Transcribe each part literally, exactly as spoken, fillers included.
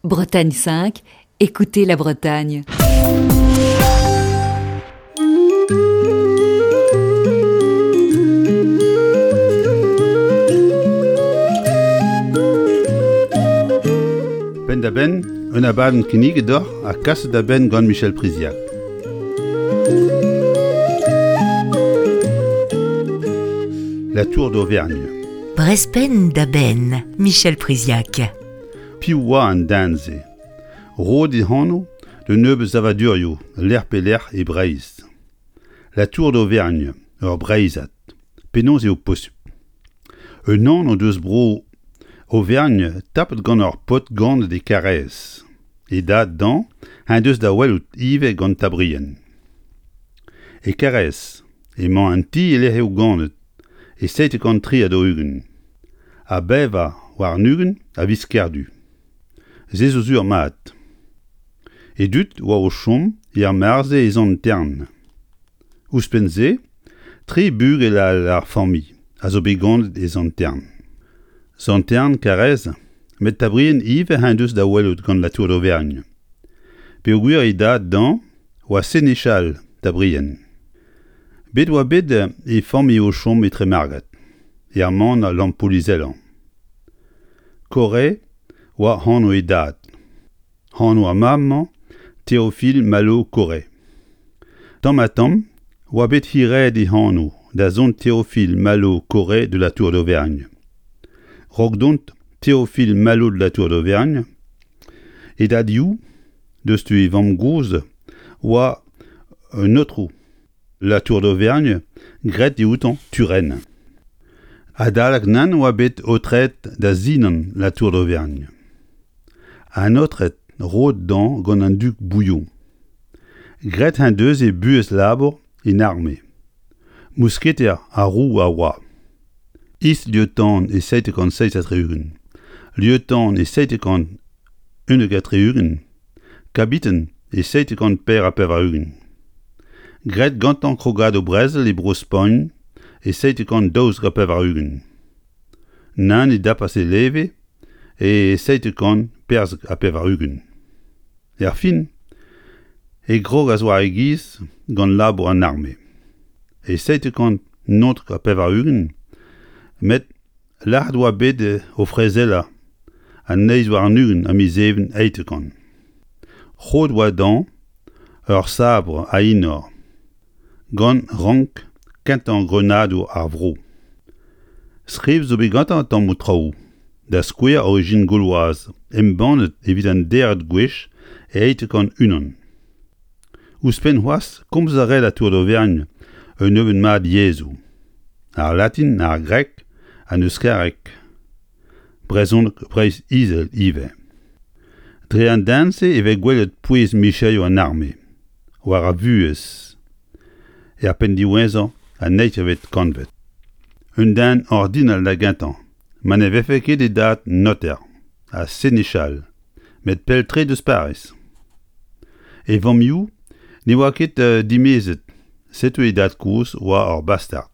Bretagne cinq, écoutez la Bretagne. Penn-da-benn, un abadenn kinniget deoc'h ha kaset da benn gant Michel Priziac. La Tour d'Auvergne. Brezh penn da benn, Michel Priziac. Piv oa an den-se? Roet e anv d'un nebeud savadurioù lec'h pe lec'h e Breizh. La Tour d'Auvergne, ur Breizhad. Penaos eo posupl? Un anv deus bro Auvergne tapet gant ur paotr ganet e Karaez. E dad dezhañ en deus da welout ivez gant Tabrien. E Karaez emañ an ti e-lec'h eo ganet e seitek kant tri ha daou-ugent. Ha bevañ warn-ugent a viz Kerdu. Se zo sur mat. E dud oa o chom er mare-se e Sant-Hern. Ouzhpenn-se, tri bugel all ar familh a zo bet ganet e Sant-Hern. Sant-Hern, Karaez, met Tabrien ivez en deus da welout gant La Tour d'Auvergne. Peogwir e dad dezhañ oa senechal Tabrien. Bet oa bet e familh o chom e Tremargad, er maner Lampoul-Izelañ. Corre oa anv e dad. Anv ar mab-mañ Théophile Malo Corre. Tamm-ha-tamm oa bet hiraet e anv da zont Théophile Malo Corre de la Tour d'Auvergne. Raok dont Théophile Malo de la Tour d'Auvergne, e dad-you, deus tu e vamm-gozh, oa un aotrou La Tour d'Auvergne graet dioutañ Turenne. Adalek nann oa bet aotreet da sinan La Tour d'Auvergne. An aotred roet dezhañ gant an dug Bouillon. Graet en deus e buhez labour en arme. Mousketer ar roue a oa. Is-lieutenant e seitek kant seizh ha tri-ugent, lieutenant e seitek kant unnek ha tri-ugent, kabiten e seitek kant per ha pevar-ugent. Graet gantañ krogadoù brezel e Bro-Spagn e seitek kant daouzek ha pevar-ugent. Nann e dapas e leve e seitek kant perzek ha pevar-ugent. Erfin e krogas war e giz gant labour an arme. E seitek kant naontek ha pevar-ugent, met lâret oa bet o frezelañ an eizh warn-ugent a miz Even eitek kant. Roet oa dezhañ ur sabr a enor gant rank kentañ grenadour ar vro. Skrivet zo bet gantañ tammoù traoù, da skouer Origine gauloise embannet evit an deirvet gwech e eitek kant unan. Ouzhpenn c'hoazh komz a rae La Tour d'Auvergne un nebeud mat yezhoù. Ar latin, ar grek, an euskareg, brezhoneg Breizh-Izel ivez. Dre an den-se e vez gwelet pouez micherioù an arme, war ar vuhez, er penn diwezhañ an eizhvet kantved. Un den ordinal da gentañ, ma ne vefe ket e dad noter ha senechal, met pell-tre deus Pariz. E vamm-you ne oa ket dimezet, setu e dad-kozh oa ur bastard.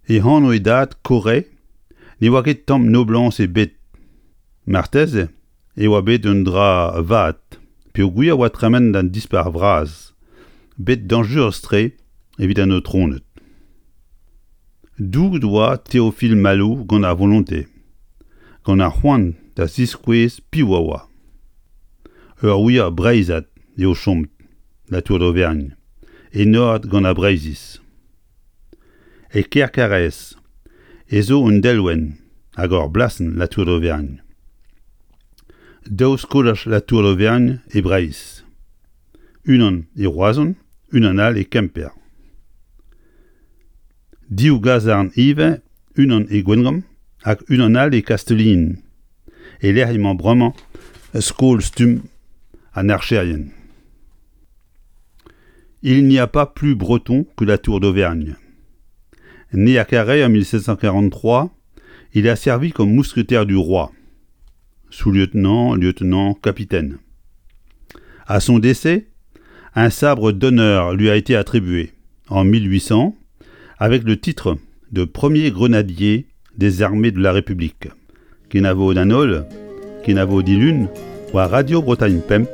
E anv e dad Corre ne oa ket tamm noblañs ebet. Marteze e oa bet un dra vat peogwir oa tremen d'an Dispac'h vras, bet dañjerus-tre evit an aotroned. Douget oa Théophile Malo gant ar volontez, gant ar c'hoant da ziskouez piv a oa. Ur wir Breizhad eo chomet, La Tour d'Auvergne, enoret gant ar Breizhiz. E kêr Karaez ez zo un delwenn hag ur blasenn La Tour d'Auvergne. Daou skolaj La Tour d'Auvergne e Breizh. Unan e Roazhon, unan all e Kemper. Div gazarn ivez, unan e Gwengamp hag unan all e Kastellin, e-lec'h emañ bremañ skol stumm an archerien. Il n'y a pas plus breton que la Tour d'Auvergne. Né à Carhaix en mille sept cent quarante-trois, il a servi comme mousquetaire du roi, sous-lieutenant, lieutenant, capitaine. À son décès, un sabre d'honneur lui a été attribué en mille huit cents avec le titre de premier grenadier des armées de la République. Kenavo d'an holl, kenavo dilun, War Radio Bretagne Pemp,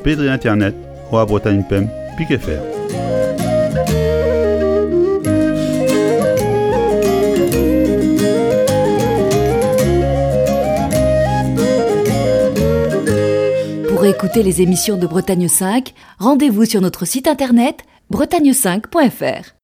pe dre internet war Bretagne Pemp pik F R. Pour écouter les émissions de Bretagne cinq, rendez-vous sur notre site internet bretagne cinq point F R.